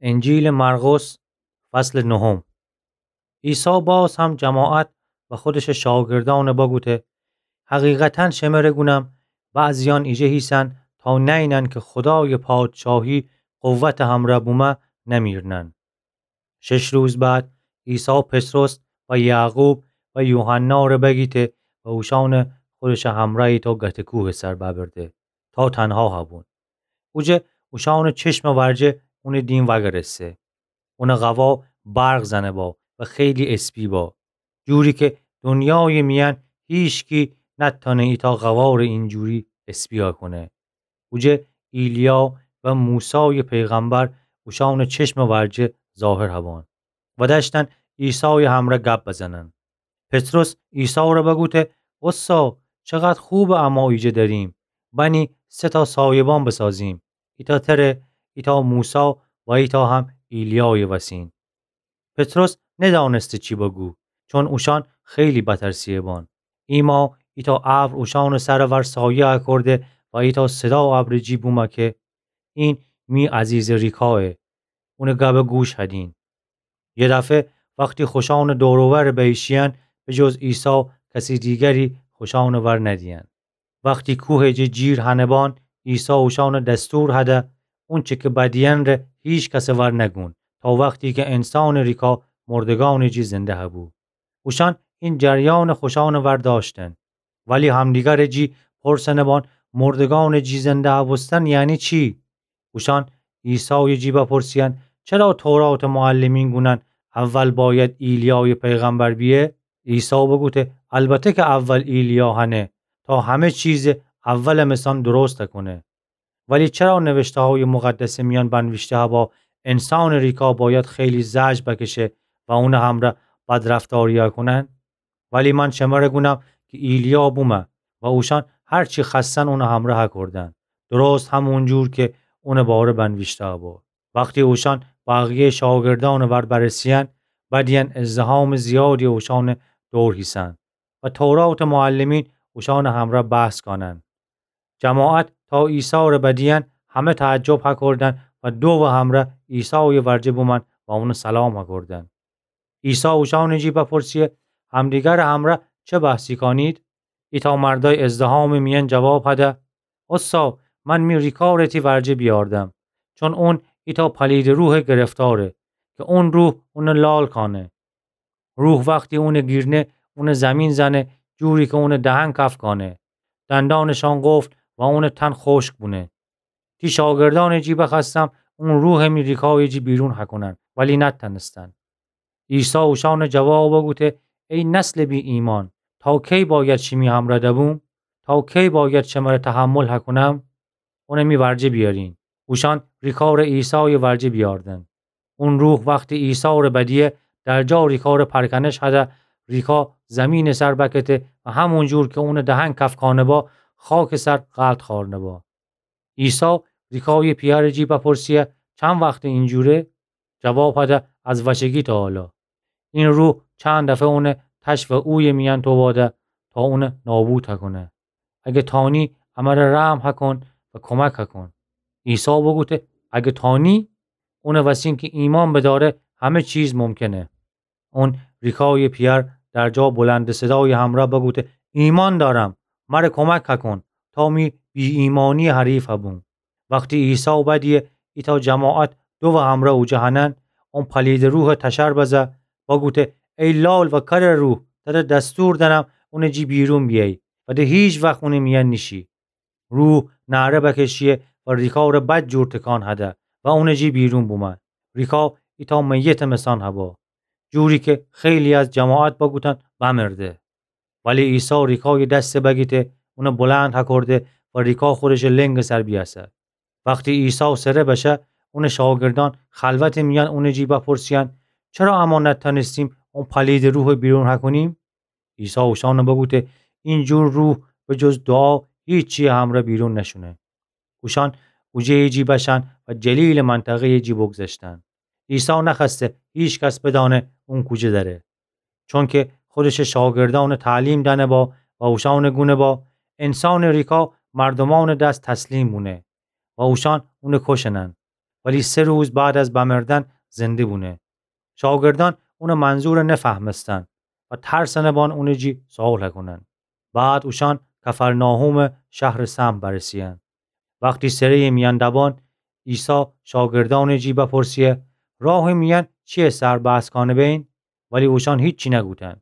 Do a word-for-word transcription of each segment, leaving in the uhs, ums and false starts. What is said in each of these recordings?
انجیلٚ مرقس، فصلٚ نهم. عیسی باز هم جماعت و خودشٚ شاگردأن بگوته: حقیقتاً شمره گونم، بعضیأن ایجه هیسن تا نئینن که خودایٚ پادشاهی قوتٚ همرأ بومه نمیرنن. شش روز بعد عیسی پطرس و یعقوب و یوحنا ره بگیته و اوشأن خودشٚ همرأ ایتأ گته کوهٚ سر ببرده تا تنها هبون. اوجه اوشأنٚ چشمٚ ورجه اونٚ دیم وأگرسته. اونٚ قوا برق زنه با و خیلی اسپی با، جوری که دنیایٚ میأن هیچکی نتأنه ایتأ قوا ره اینجوری اسپی هکونه. اوجه ایلیا و موسایٚ پیغمبر اوشأنٚ چشمٚ ورجه ظاهر هبان و دأشتن عیسایٚ همرأ گب بزنن. پطرس عیسی ره بگوته: اوستا، چقدر خوبه اما ایجه دریم. بنی سه تا سایبان بسازیم، ایتأ تره، ایتأ موسی و ایتأ هم ایلیایٚ وسین. پطرس ندأنسته چی بگو، چون اوشأن خیلی بترسیه بان. ایما ایتأ ابر اوشأنٚ سرٚ ور سایه هکرده و ایتأ صدا ابرٚ جی بومه که: این می عزیزٚ ریکایه، اونٚ گبه گوش هدین. یه دفعه وختی خوشأنٚ دور و ور بیشیین، به جز عیسی کسی دیگری خوشأنٚ ور ندیین. وختی کوهٚ جه جیر هنه بان، عیسی اوشأنٚ دستور هده اونچه که بدیین ره هیچ کسٚ ور نگون، تا وختی که انسانٚ ریکا مردگأنٚ جی زنده هبو. اوشأن این جریان خوشأنٚ ور دأشتن، ولی همدیگرٚ جی پرسنه بان: مردگأنٚ جی زنده هبوستن یعنی چی؟ اوشأن عیسایٚ جی بپرسیین: چرا توراتٚ معلمین گونن اول باید ایلیایٚ پیغمبر بیه؟ عیسی بگوته: البته که اول ایلیا هنه، تا همه چیزٚ اولٚ مثأن درست هکونه. ولی چرا نوشته‌هایٚ مقدسٚ میأن بنویشته هبا انسانٚ ریکا باید خیلی زجر بکشه و اونٚ همرأ بدرفتاری هکونن؟ ولی من شمره گونم که ایلیا بومه و اوشأن هر چی خوأستن اونٚ همرأ هکردن، درست همون جور که اونٚ باره بنویشته هبا. وختی اوشأن بقیه‌یٚ شاگردأنٚ ور برسیین، بدیین ازدحامٚ زیادی اوشأنٚ دور هیسن و توراتٚ معلمین اوشأنٚ همرأ بحث کانن. جماعت تا عیسی ره بدیین همه تعجب هکردن و دووٚ همرأ عیسایٚ ورجه بومأن و اونٚ سلام هکردن. عیسی اوشأنٚ جی بپرسیه: همدیگرٚ همرأ چه بحثی کانید؟ ایتأ مردأی ازدحامٚ میأن جواب هده: اوستا، من می ریکا ره تی ورجه بیاردم، چون اون ایتأ پلیدٚ روحٚ گرفتاره، که اون روح اونٚ لال کانه. روح وختی اونٚ گیرنه، اونٚ زمین زنه، جوری که اونٚ دهن کف کانه، دندانٚ شان قفل و اونٚ تن خوشک بونه. تی شاگردأنٚ جی بخوأستم اون روحٚ می ریکایٚ جی بیرون هکونن، ولی نتأنستن. عیسی اوشأنٚ جواب بوگوته: ای نسلٚ بی‌ایمأن، تا کی باید شیمی همرأ دبوم؟ تا کی باید شمره تحمل هکونم؟ اونٚ می ورجه بیأرین. اوشأن ریکا ره عیسایٚ ورجه بیأردن. اون روح وختی عیسی ره بدیه، درجا ریکا ره پرکنش هده، ریکا زمینٚ سر بکته و همون جور که اونٚ دهن کف کانه با، خاکٚ سر غلط خوأرنه با. عیسی ریکایٚ پیأرٚ جی بپرسیه: چند وخته اینجوره؟ جواب هده: از وچگی تا حالا. این روح چند دفعه اونٚ تش و اویٚ میأن توباده تا اونٚ نابود هکونه. اگه تانی، امره رحم هکون و کمک هکون. عیسی بوگوته: اگه تانی؟ اونٚ وسین که ایمأن بدأره، همه چیز ممکنه. اون ریکایٚ پیأر درجا بلندٚ صدایٚ همرأ بوگوته: ایمأن دأرم، مره کمک هکون تا می بی‌ایمأنیٚ حریف هبوم. وختی عیسی بدیه ایتأ جماعت دووٚ همرأ اوجه هنن، اون پلیدٚ روحٚ تشر بزه، بوگوته: ای لال و کرٚ روح، تره دستور دأنم اونٚ جی بیرون بیأیی و ده هیچ وخت اونٚ میأن نیشی. روح نعره بکشیه و ریکا ره بد جور تکان هده و اونٚ جی بیرون بومأن. ریکا ایتأ میتٚ مثأن هبا، جوری که خیلی از جماعت بوگوتن بمرده. ولی عیسی ریکایٚ دس بگیته، اونٚ بلند هکرده و ریکا خودشٚ لنگٚ سر بیأسه. وختی عیسی سره بشه، اونٚ شاگردأن خلوتٚ میأن اونٚ جی بپرسیأن: چرا اما نتأنستیم اون پلیدٚ روحٚ بیرون هکونیم؟ عیسی اوشأن بوگوته: این جور روح به جز دوعا هیچی همرأ بیرون نشونه. اوشأن اوجه‌یٚ جی بشأن و جلیلٚ منطقه‌یٚ جی بگذشتن. عیسی نخوأسته هیچ کس بدأنه اون کوجه دأره، چونکه خودشٚ شاگردأن تعلیم دأنه با و اوشأن گونه با: انسانٚ ریکا مردومأنٚ دس تسلیم بونه و اوشأن اون کوشنن. ولی سه روز بعد از بمردن زنده بونه. شاگردأن اونٚ منظور نفهمستن و ترسٚنٚ بان اونٚ جی سؤال هکونن. بعد اوشأن کفرناحومٚ شهرٚ سمت برسه‌یأن. وختی سره‌یٚ میأن دبان، عیسی شاگردأنٚ جی بپرسه: راهٚ میأن چی‌یٚ سر بحث کانه بین؟ ولی اوشأن هیچی نگوتن،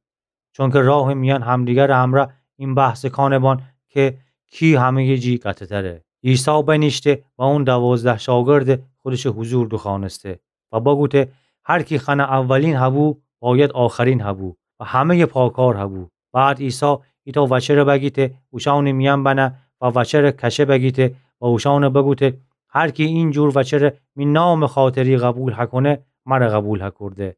چونکه راهٚ میأن همدیگرٚ همرأ این بحثٚ کانه بان که کی همه‌یٚ جی قطع‌تره. عیسی بنیشته و اون دوازده شاگردٚ خودشٚ حضور دوخوأنسته و بگوته: هر کی خأنه اولین هبو، باید آخرین هبو و همه‌یٚ پاکار هبو. بعد عیسی ایتأ وچه‌ره بگیته، اوشأنٚ میأن بنه و وچه‌ره کشه بگیته و اوشأنه بگوته: هر کی اینجور وچه‌ره می نامٚ خاطری قبول هکونه، مره قبول هکورده.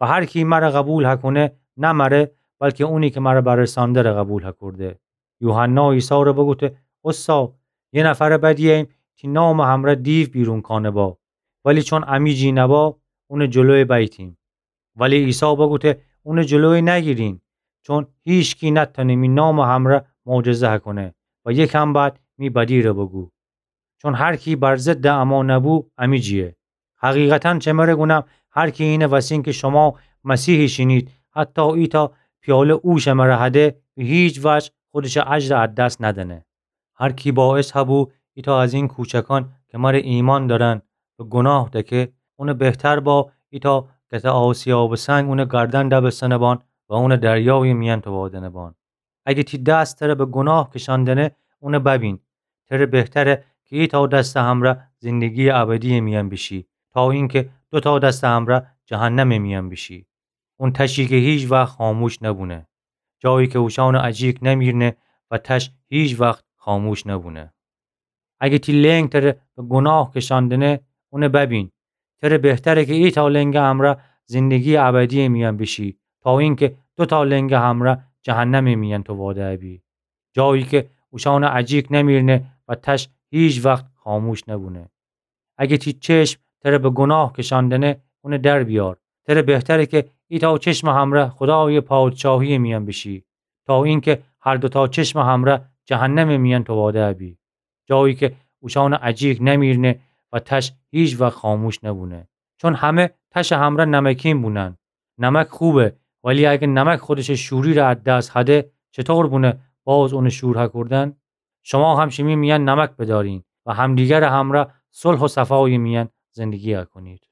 و هر کی مره قبول هکونه، نه مره، بلکه اونی که مره برسانده ره قبول هکورده. یوحنا عیسی ره بگوته: اوستا، یه نفره بدییم تی نامٚ همرأ دیو بیرون کانه با، ولی چون امی جی نبا، اونٚ جلوی بیتیم. ولی عیسی بگوته: اونٚ جلوی نگیرین، چون هیچکی نتأنه می نامٚ همرأ معجزه هکونه و یکم بعد می بدی ره بگو. چون هر کی بر ضدٚ اما نبو، امی جیه. حقیقتاً شمره گونم، هر کی اینه وسین که شما مسیحی شینید، حتی ایتأ پیاله او شمره هده، به هیچ وجه خودشٚ اجرٚ از دست ندنه. هر کی باعث هبو ایتأ از این کوچکان که مره ایمأن دأرن به گناه دکه، اونٚ بهتر با ایتأ کته آسیابٚ سنگ اونٚ گردن دبستنه بان و اونٚ دریایٚ میأن تووادنه بان. اگه تی دست تره به گناه کشأندنه، اونه ببین. تره بهتره که ایتأ دستٚ همرأ زندگیٚ ابدیٚ میأن بیشی، تا اینکه دوتأ دستٚ همرأ جهنمٚ میأن بیشی. اون تشی که هیچ وخت خاموش نبونه، جایی که اوشأنٚ اجیک نمیرنه و تش هیچ وخت خاموش نبونه. اگه تی لنگ تره به گناه کشأندنه، اونه ببین. تره بهتره که ایتأ لنگٚ همرأ زندگیٚ ابدیٚ میأن بیشی، تا اینکه دوتأ لنگٚ همرأ جهنمٚ میأن توواده بی، جایی که اوشأنٚ اجیک نمیرنه و تش هیچ وخت خاموش نبونه. اگه تی چشم تره به گناه کشأندنه، اونه در بیار. تره بهتره که ایتأ چشمٚ همرأ خودایٚ پادشاهیٚ میأن بیشی، تا اینکه هر دوتأ چشمٚ همرأ جهنمٚ میأن توواده بی، جایی که اوشأنٚ اجیک نمیرنه و تش هیچ وخت خاموش نبونه. چون همه تشٚ همرأ نمکین بونن. نمک خوبه، ولی اگه نمک خودشٚ شوری ره از دست هده، چطور بونه باز اونٚ شور هکوردن؟ شما هم شیمی میأن نمک بدأرین و همدیگرٚ همرأ صلح و صفایٚ میأن زندگی هکنید.